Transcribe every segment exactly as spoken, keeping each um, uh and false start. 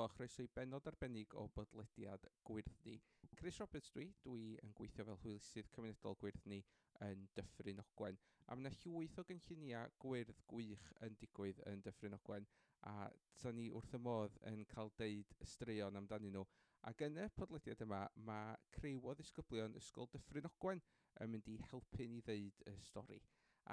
a chroeso i bennod arbennig o bodlediad GwyrddNi. Chris Roberts dwi, dwi yn gweithio fel hwylusydd cymunedol GwyrddNi yn Dyffryn Ogwen. A mae yna llwyth o gynlluniau gwyrdd gwych yn digwydd yn Dyffryn Ogwen a 'sa ni wrth y modd yn cael deud y straeon amdanyn nhw. Ac yn y podlediad yma, mae criw o ddisgyblion Ysgol Dyffryn Ogwen yn mynd i helpu ni ddeud y stori.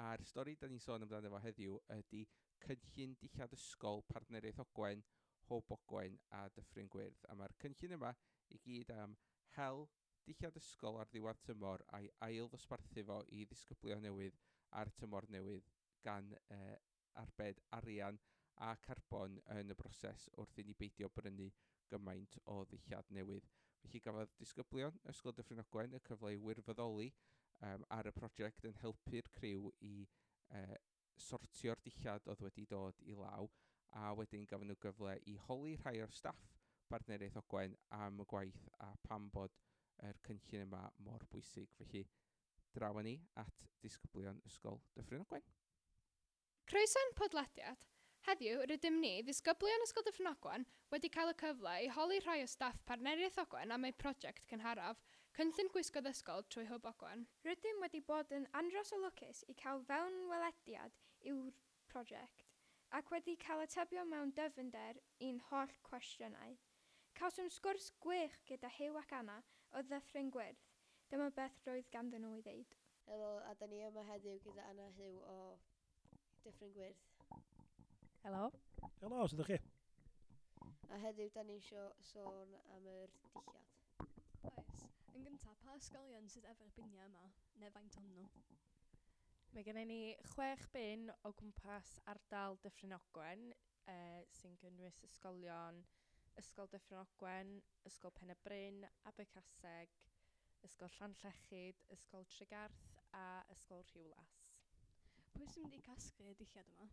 A'r stori da ni'n sôn amdano fo heddiw ydy cynllun dillad ysgol Partneriaeth Ogwen, Hwb Ogwen a Dyffryn Gwyrdd. A mae'r cynllun yma i gyd am hel dillad ysgol ar ddiwedd tymor a'i ail ddosbarthu fo i ddisgyblion newydd ar tymor newydd gan eh, arbed arian a carbon yn y broses wrth i ni beidio brynu gymaint o ddillad newydd. Felly gafodd disgyblion Ysgol Dyffryn Ogwen y cyfle i wirfoddoli um, ar y prosiect yn helpu'r criw i uh, sortio'r dillad oedd wedi dod i law a wedyn gafon nhw gyfle i holi rhai o'r staff Partneriaeth Ogwen am y gwaith a pam bod yr cynllun yma mor bwysig. Felly, draw â ni at disgyblion Ysgol Dyffryn Ogwen. Croeso i'n podlediad. Heddiw, rydym ni, ddisgyblion Ysgol Dyffryn Ogwen, wedi cael y cyfle i holi rhai o staff Partneriaeth Ogwen am eu prosiect cynharaf, cynllun gwisgoedd ysgol trwy Hwb Ogwen. Rydym wedi bod yn andros o lwcus i cael fewnwelediad i'w prosiect ac wedi cael atebion mewn dyfnder i'n holl cwestiynau. Cawsom sgwrs gwych gyda Huw ac Anna o Ddyffryn Gwyrdd. Dyma beth roedd ganddyn nhw i ddeud. Helo, a da ni yma heddiw gyda Anna Huw o Dyffryn Gwyrdd. Helo. Helo, sut ydych chi? A heddiw da ni isio sôn am yr dillad. Oes. Yn gyntaf, pa ysgolion sydd efo'r biniau yma, neu faint ohonyn nhw? Mae gennym ni chwech bin o gwmpas ardal Dyffryn Ogwen, eh, sy'n gynnwys ysgolion Ysgol Dyffryn Ogwen, Ysgol Pen y Bryn, Abercaseg, Ysgol Llanllechid, Ysgol Tregarth a Ysgol Rhiwlas. Pwy sy'n mynd i casglu y dillad yma?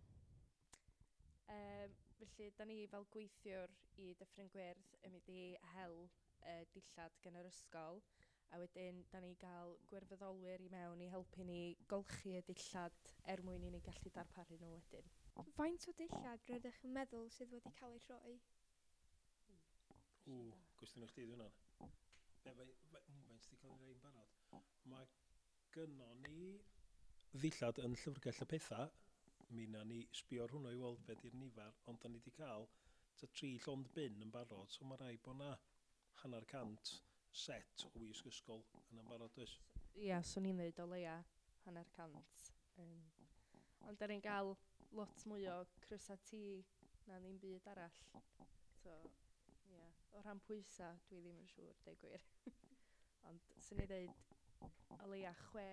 Um, felly, da ni fel gweithiwr i Dyffryn Gwyrdd yn mynd i hel uh, dillad gan yr ysgol, a wedyn da ni gael gwirfoddolwyr i mewn i helpu ni golchi y dillad er mwyn i ni gallu darparu nhw wedyn. Faint o dillad rydych yn meddwl sydd wedi cael eu rhoi? Ww, gwestiwn i chdi di hwnna. Be, fe- fe- mm, faint sydd wedi cael ei roi'n barod? Mae gynnon ni ddillad yn llyfrgell y pethau. Mi na ni sbio ar hwnnw i weld be di'r nifer, ond da ni wedi cael tua tri llond bin yn barod, so mae rhaid bod na hanner cant set o wisg ysgol yn barod, oes? Ia, swn i'n dweud o leia hanner cant. Um, ond da ni'n gael lot mwy o crysa T na ddim byd arall. So, ia, o ran pwysa, dwi ddim yn siŵr, deud gwir. Ond swn i'n dweud o leia chwe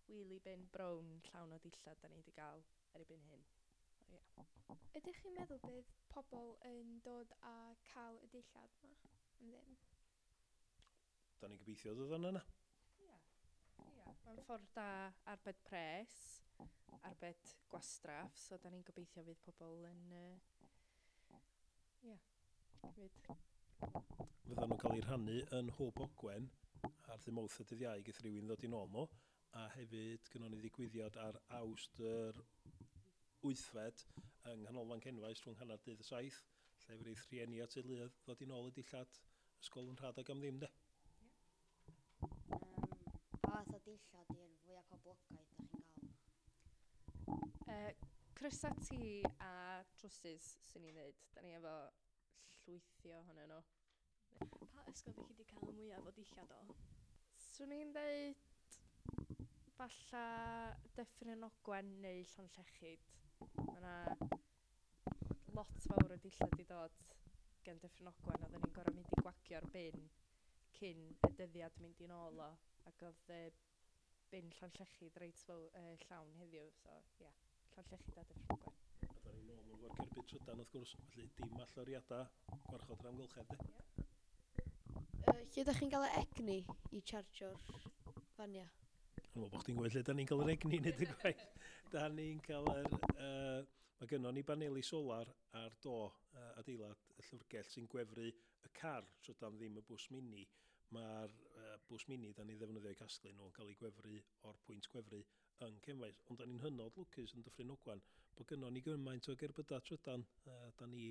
wheelie bin brown llawn o dillad da ni wedi gael erbyn hyn. O, ia. Ydych chi'n meddwl bydd pobl yn dod a cael y dillad yma am ddim? Da ni'n gobeithio dod o'n yna. Ia, ia. Mae'n ffordd da arbed pres, arbed gwastraff, so da ni'n gobeithio fydd pobl yn, uh, ia, cymryd. Fyddan nhw'n cael eu rhannu yn Hwb Ogwen ar ddydd Mawrth a dydd Iau geith rhywun ddod i nôl nhw. A hefyd gynnon ni ddigwyddiad ar Awst yr wythfed yng Nghanolfan Cenfaes rhwng hanner dydd y saith, lle fydd rhieni a teuluoedd ddod i nôl y dillad ysgol yn rhad ac am ddim de. Um, pa fath o dillad yw'r fwyaf poblogaidd da chi'n gael? Uh, crysa T a trowsus, swn i'n dweud. Da ni efo llwythi ohonyn nhw. Pa ysgol ydych chi wedi cael y mwyaf o dillad o? Swn i'n dweud falla Dyffryn Ogwen neu Llanllechid. Mae yna lot fawr o dillad i dod gan Dyffryn Ogwen. Oedden ni'n gorfod mynd i gwagio'r bin cyn y dyddiad mynd i nôl o. Ac oedd y bin Llanllechid reit fawr, uh, llawn heddiw. So, ie, yeah, Llanllechid a Dyffryn Ogwen. A da ni'n nôl efo'r cerbyd trydan wrth gwrs, felly dim allyriadau gwarchod yr amgylchedd de. Uh, lle ydych chi'n cael y egni i chargio'r fania? Dwi'n meddwl bod chdi'n gweld lle da ni'n cael yr egni i wneud y gwaith. Da ni'n cael yr... Uh, mae gynnon ni baneli solar ar do uh, adeilad y llyfrgell sy'n gwefru y car trydan, ddim y bws mini. Mae'r uh, bws mini da ni ddefnyddio i casglu nhw yn cael ei gwefru o'r pwynt gwefru yn Cefnfaes. Ond da ni'n hynod lwcus yn Dyffryn Ogwen bod gynnon ni gymaint o gerbydau trydan. Uh, da ni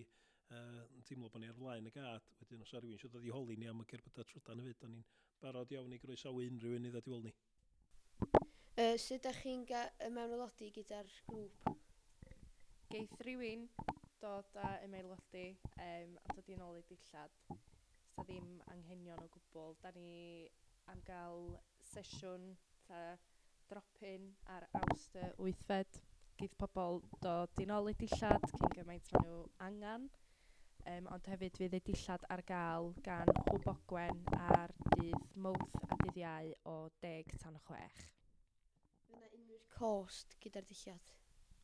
Uh, yn teimlo bod ni ar flaen y gad. Wedyn os rhywun eisiau dod i holi ni am y cerbydau trydan hefyd, da ni'n barod iawn i groesawu unrhyw un i ddod i weld ni. Uh, sut ydych chi'n ymaelodi gyda'r grŵp? Geith rhywun dod a ymaelodi um, a dod i nôl i dillad. Sa ddim anghenion o gwbl. Da ni am gael sesiwn ta drop-in ar Awst y wythfed. Geith pobl dod i nôl i dillad cyn gymaint maen nhw angen. Um, ond hefyd fydd y dillad ar gael gan Hwb Ogwen ar dydd Mawrth a dydd Iau o deg tan chwech. Fydd yna unrhyw cost gyda'r dillad?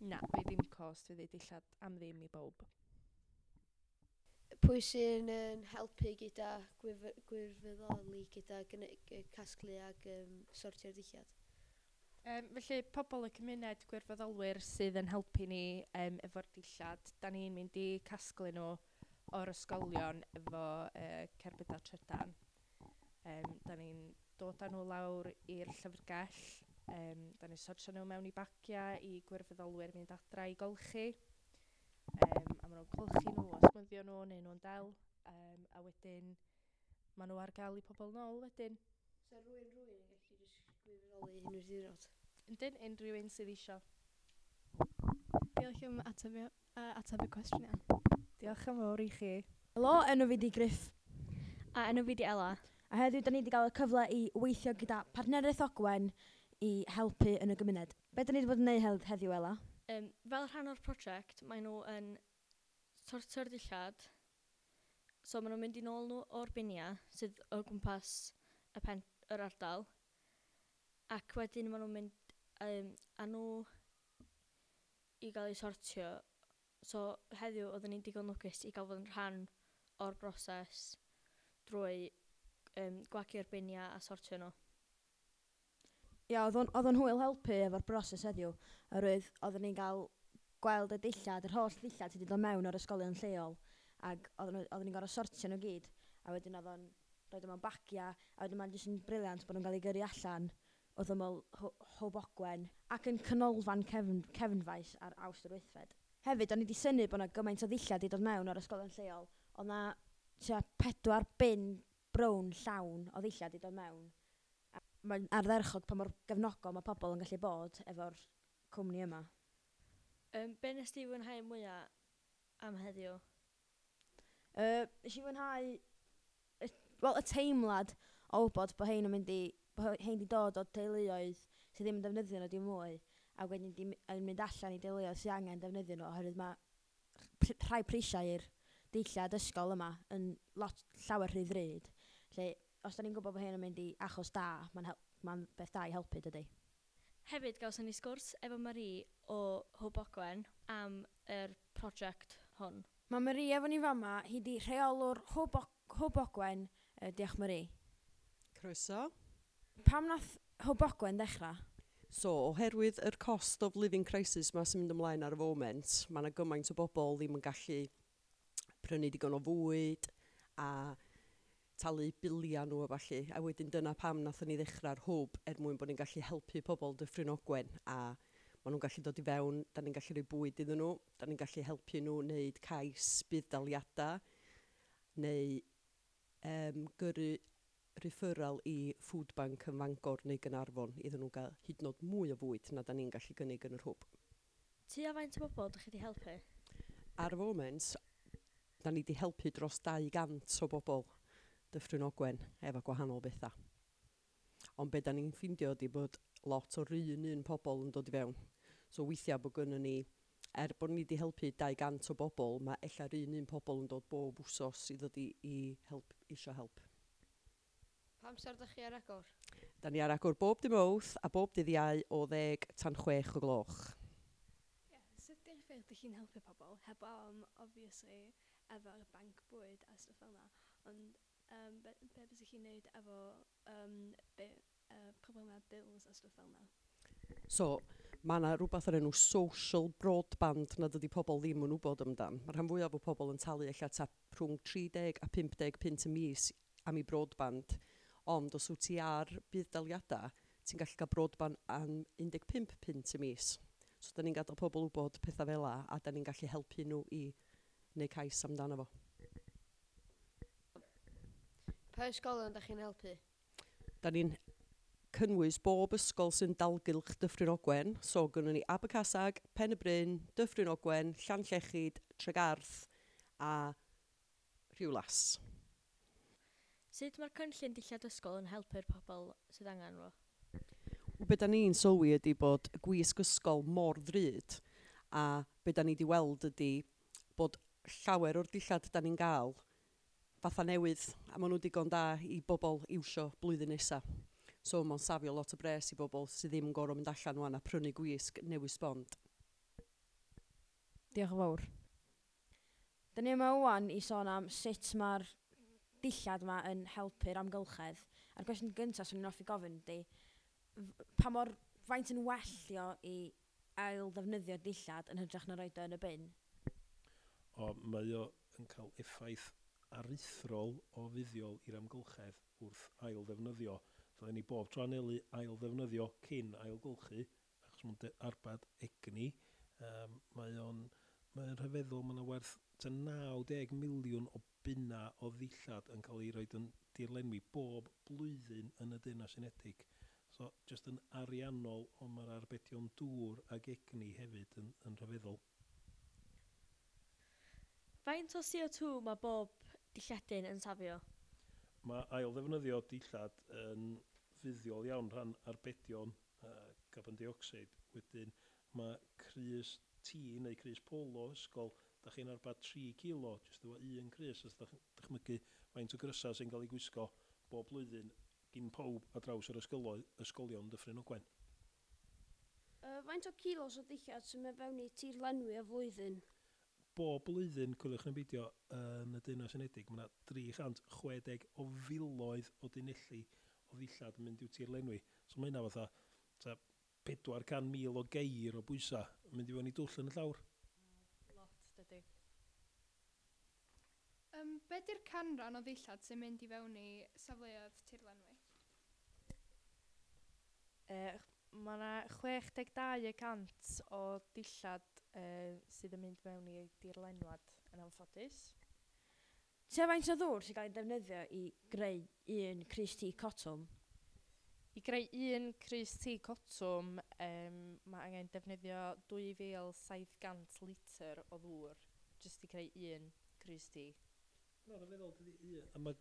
Na, fydd ddim cost, fydd y dillad am ddim i bawb. Pwy sy'n yn helpu gyda gwirfoddoli, gyda casglu ac um, sortio'r dillad? Um, felly, pobl y cymuned gwirfoddolwyr sydd yn helpu ni um, efo'r dillad, da ni'n mynd i casglu nhw o'r ysgolion efo uh, cerbydau trydan. Um, da ni'n dod â nhw lawr i'r llyfrgell, um, da ni'n sortio nhw mewn i bagiau i gwirfoddolwyr mynd adra i golchi. Um, a maen nhw'n golchi nhw a smwddio nhw neu nhw'n del, um, a wedyn maen nhw ar gael i pobl nôl wedyn. So rhywun rhywun yn gallu jyst gwirfoddoli unrhyw ddiwrnod? Yndyn, unrhyw un sydd isio. Diolch am ateb, uh, ateb y cwestiwn iawn. Diolch yn fawr i chi. Helo, enw fi di Griff. A enw fi di Ella. A heddiw da ni wedi cael y cyfle i weithio gyda Partneriaeth Ogwen i helpu yn y gymuned. Be da ni wedi bod yn neud heddiw, Ella? Um, fel rhan o'r prosiect, maen nhw yn sortio'r dillad. So maen nhw'n mynd i nôl nhw o'r biniau sydd o gwmpas y pen, yr ardal. Ac wedyn maen nhw'n mynd um, â nhw i gael eu sortio. So heddiw oedden ni'n digon lwcus i gael fod yn rhan o'r broses drwy um, gwagio'r biniau a sortio nhw. Ia, oedd o'n, oedd o'n hwyl helpu efo'r broses heddiw, oherwydd oedden ni'n cael gweld y dillad, yr holl ddillad sydd wedi dod mewn o'r ysgolion lleol, ac oedden nhw- oedden ni'n gorfod sortio nhw gyd, a wedyn oedd o'n rhoi nhw mewn bagiau, a wedyn mae'n jyst yn brilliant bod nhw'n cael eu gyrru allan wrth ymyl Hwb Ogwen ac yn canolfan cefn, Cefnfaes ar Awst yr wythfed. Hefyd, o'n i wedi synnu bod yna gymaint o ddillad wedi dod mewn o'r ysgolion lleol. Oedd na tua pedwar bin brown llawn o ddillad wedi dod mewn. A mae'n ardderchog pa mor gefnogol mae pobl yn gallu bod efo'r cwmni yma. Um, be nes ti fwynhau mwyaf am heddiw? Uh, nes i fwynhau y, wel, y teimlad o wybod bod hein yn mynd i, bod hein di dod o teuluoedd sydd ddim yn defnyddio nhw dim mwy, a wedyn di, yn mynd allan i deuluoedd sydd angen defnyddio nhw, oherwydd mae rhai prisiau i'r dillad ysgol yma yn lot llawer rhy ddrud. Felly, os da ni'n gwybod bod hyn yn mynd i achos da, mae'n ma beth da i helpu, dydy. Hefyd, gawson ni sgwrs efo Marie o Hwb Ogwen am yr prosiect hwn. Mae Marie efo ni fama, hi di rheolwr Hwb, Hwb Ogwen. Uh, diolch Marie. Croeso. Pam nath Hwb Ogwen ddechrau? So, oherwydd yr cost of living crisis ma sy'n mynd ymlaen ar y foment, mae yna gymaint o bobl ddim yn gallu prynu digon o fwyd a talu biliau nhw a ballu. A wedyn dyna pam nathon ni ddechrau'r hwb er mwyn bod ni'n gallu helpu pobl Dyffryn Ogwen a maen nhw'n gallu dod i fewn, da ni'n gallu rhoi bwyd iddyn nhw, da ni'n gallu helpu nhw wneud cais budd-daliadau neu um, gyrru referral i food bank yn Fangor neu Gaernarfon iddyn nhw gael hyd yn oed mwy o fwyd na da ni'n gallu gynnig yn yr hwb. Tua faint o bobl ydych chi wedi helpu? Ar y foment, da ni wedi helpu dros dau gant o bobl Dyffryn Ogwen efo gwahanol bethau. Ond be da ni'n ffindio ydy bod lot o'r un un pobl yn dod i fewn. So weithiau bod gynnon ni, er bod ni wedi helpu dau gant o bobl, mae ella'r un un pobl yn dod bob wsos i ddod i, i help, isio help. Pa amser ydych chi ar agor? Da ni ar agor bob dydd Mawrth a bob dydd Iau o ddeg tan chwech o gloch. Yeah, sut ydych ffyrdd ydych chi'n helpu pobl? Heb am, obviously, efo'r banc bwyd a stwff fel yna, ond um, be, be bysych chi'n neud efo um, be, uh, problemau bills a stwff fel yna? So, mae yna rhywbeth o'r enw social broadband nad ydy pobl ddim yn wybod amdan. Mae rhan fwyaf o pobl yn talu ella ta rhwng tri deg a pump deg punt y mis am ei broadband. Ond os wyt ti ar budd-daliadau, ti'n gallu cael broadband am un deg pump punt y mis. So, da ni'n gadael pobl wybod pethau fel 'a, a da ni'n gallu helpu nhw i neu cais amdano fo. Pa ysgolion da chi'n helpu? Da ni'n cynnwys bob ysgol sy'n dalgylch Dyffryn Ogwen. So, gynnon ni Abercasag, Pen y Bryn, Dyffryn Ogwen, Llanllechid, Tregarth a Rhiwlas. Sut mae'r cynllun dillad ysgol yn helpu'r pobl sydd angen fo? Wel, be da ni'n sylwi ydy bod y gwisg ysgol mor ddrud, a be da ni wedi weld ydy bod llawer o'r dillad da ni'n gael fatha newydd, a maen nhw digon da i bobl iwsio blwyddyn nesaf. So mae'n safio lot o bres i bobl sydd ddim yn gorfod mynd allan wan a prynu gwisg newydd sbon. Diolch yn fawr. Da ni yma wan i sôn am sut mae'r dillad yma yn helpu'r amgylchedd. A'r gwestiwn gyntaf swn i'n hoffi gofyn ydy, pa mor faint yn well o i ail ddefnyddio dillad yn hytrach na roed o yn y bin? O, mae o yn cael effaith aruthrol o fuddiol i'r amgylchedd wrth ail ddefnyddio. Ddylen ni bob tro anelu ail ddefnyddio cyn ailgylchu, achos mae'n arbad egni. Um, mae o'n mae o'n rhyfeddol, mae yna werth tua naw deg miliwn o bunna o ddillad yn cael ei roed yn dirlenwi bob blwyddyn yn y Deyrnas Unedig. So, jyst yn ariannol, ond mae'r arbedion dŵr ag egni hefyd yn, yn rhyfeddol. Faint o C O two mae bob dilledyn yn safio? Mae ail ddefnyddio dillad yn fuddiol iawn rhan arbedion uh, carbon dioxide. Wedyn mae crys T neu crys polo ysgol, da chi'n arbad tri kilo, jyst efo un crys, os da chi'n dychmygu faint o grysau sy'n cael ei gwisgo bob blwyddyn gyn pawb ar draws yr ysgolo- ysgolion Dyffryn Ogwen. Uh, faint o kilos o ddillad sy'n mynd fewn i tirlenwi y flwyddyn? Bob blwyddyn, coeliwch neu beidio, yn y Deyrnas Unedig, mae yna dri chant chwe deg o filoedd o dunelli o ddillad yn mynd i'w tirlenwi. So mae hynna fatha ta pedwar can mil o geir o bwysa yn mynd i fewn i dwll yn y llawr. Lot, dydy. Um, be di'r canran o ddillad sy'n mynd i fewn i safleoedd tirlenwi? Uh, mae yna chwech deg dau y cant o dillad uh, sydd yn mynd mewn i dirlenwad yn anffodus. Tua faint o ddŵr sy'n cael ei defnyddio i greu un crys T cotwm? I greu un crys T cotwm, um, mae angen defnyddio dwy fil saith gant litr o ddŵr jyst i creu un crys T. Na, rhyfeddol, dydi un. A mae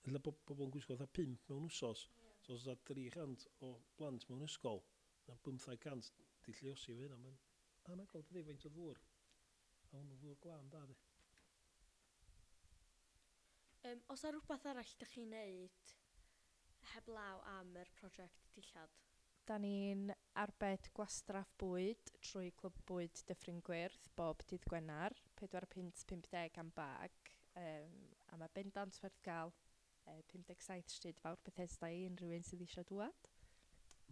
ella bo-, bobl yn gwisgo fatha pump mewn wsos. So os oes tri chant o blant mewn ysgol, na bymthag cant di lluosi efo hynna. Mae'n anhygoel, dydi, faint o ddŵr. A hwnnw ddŵr glân da, di. Um, os yna rhywbeth arall ydych chi'n neud heblaw am yr prosiect dillad? Da ni'n arbed gwastraff bwyd trwy Clwb Bwyd Dyffryn Gwyrdd bob dydd Gwener, pedwar punt pump deg am bag, um, a mae bendant werth gael uh, pum deg saith stryd fawr Bethesda i unrhyw un sydd eisiau dŵad.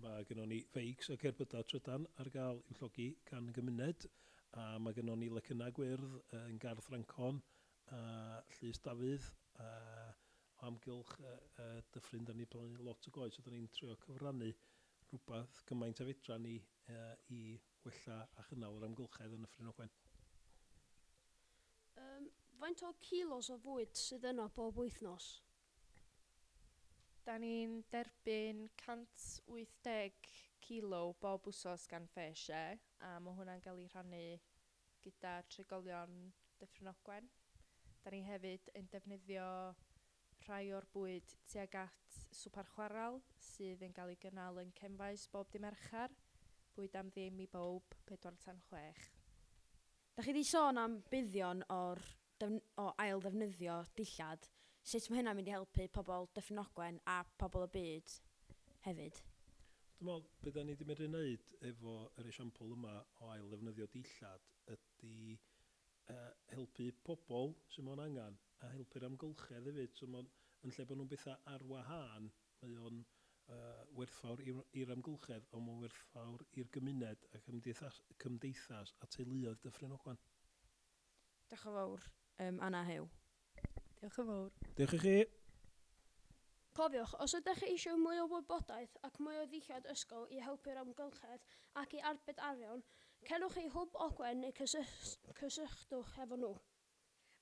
Mae gynnon ni feics a cerbydau trydan ar gael i'w llogi gan y gymuned, a mae gynnon ni lecynnau gwyrdd yn Gardd Ffrancon a Llys Dafydd, a o amgylch uh, uh, Dyffryn, da ni plannu lot o goed, so da ni'n trio cyfrannu rhywbeth gymaint a fedra ni uh, i wella a chynnal yr amgylchedd yn Nyffryn Ogwen. Um, faint o kilos o fwyd sydd yno bob wythnos? Da ni'n derbyn cant wyth deg kilo bob wsos gan FareShare, a mae hwnna'n cael ei rhannu gyda trigolion Dyffryn Ogwen. Da ni hefyd yn defnyddio rhai o'r bwyd tuag at swper chwarel sydd yn cael ei gynnal yn Cefnfaes bob dy' Mercher. Bwyd am ddim i bawb, pedwar tan chwech. Da chi 'di sôn am buddion o'r defn-, o ail ddefnyddio dillad. Sut mae hynna'n mynd i helpu pobl Dyffryn Ogwen a pobl y byd hefyd? Dwi'n meddwl, be da ni 'di medru wneud efo yr esiampl yma o ail ddefnyddio dillad ydy uh, helpu pobl sydd mewn angen a helpu'r amgylchedd hefyd. So ma'n, yn lle bod nhw'n bethau ar wahân, mae o'n uh, werthfawr i'r, i'r amgylchedd, ond mae'n werthfawr i'r gymuned a cymdeithas, cymdeithas a teuluoedd Dyffryn Ogwen. Diolch yn fawr, um, Anna Huw. Diolch yn fawr. Diolch i chi. Cofiwch, os ydych chi eisiau mwy o wybodaeth ac mwy o ddillad ysgol i helpu'r amgylchedd ac i arbed arian, cerwch i Hwb Ogwen neu cysyll-, cysylltwch efo nhw.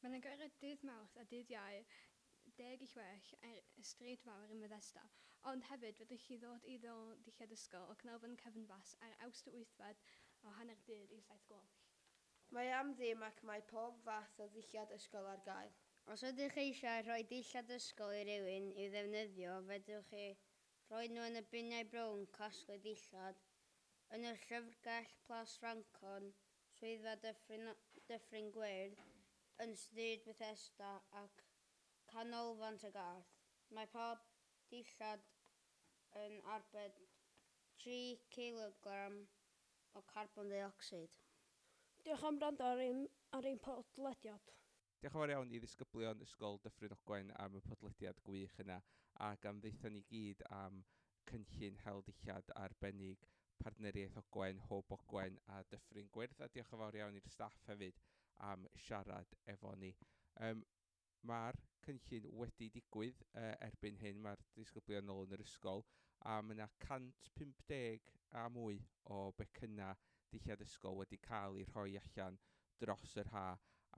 Mae'n agored dydd Mawrth a dydd Iau deg i chwech ar y stryd fawr ym Methesda, ond hefyd fedrwch chi ddod i ddol dillad ysgol o Canolfan Cefnfas ar Awst y wythfed o hanner dydd i saith gloch. Mae am ddim ac mae pob fath o ddillad ysgol ar gael. Os ydych eisiau rhoi dillad ysgol i rywun i'w ddefnyddio, fedrwch chi rhoi nhw yn y biniau brown casglu dillad, yn y llyfrgell Plas Ffrancon, swyddfa Dyffryn, Dyffryn Gwyrdd, yn Stryd Bethesda ac Canolfan Tregarth. Mae pob dillad yn arbed tri kilogram o carbon dioxide. Diolch am wrando ar ein, ar ein podlediad. Diolch yn fawr iawn i ddisgyblion Ysgol Dyffryn Ogwen am y podlediad gwych yna ac am ddeutha ni gyd am cynllun hel dillad arbennig Partneriaeth Ogwen, Hwb Ogwen a Dyffryn Gwyrdd, a diolch yn fawr iawn i'r staff hefyd am siarad efo ni. Um, Mae'r cynllun wedi digwydd uh, erbyn hyn, mae'r disgyblion nôl yn yr ysgol, a mae yna cant pump deg a mwy o becynnau dillad ysgol wedi cael eu rhoi allan dros yr ha,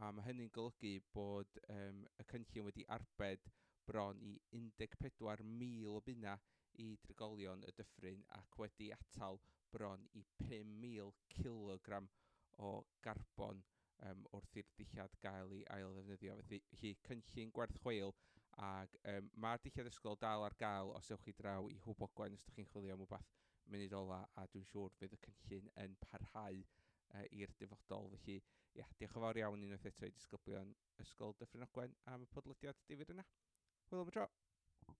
a mae hynny'n golygu bod um, y cynllun wedi arbed bron i un deg pedwar mil o bunna i drigolion y dyffryn ac wedi atal bron i pum mil kilogram o garbon um, wrth i'r dillad gael ei ail ddefnyddio. Felly cynllun gwerth chweil, ac um, mae'r dillad ysgol dal ar gael os ewch chi draw i Hwb Ogwen os ydych chi'n chwilio am wbath munud ola, a dwi'n siŵr fydd y cynllun yn parhau uh, i'r dyfodol. Felly, ia, diolch yn fawr iawn unwaith eto i disgyblion Ysgol Dyffryn Ogwen am y podlediad difyr yna. Hwyl am y tro!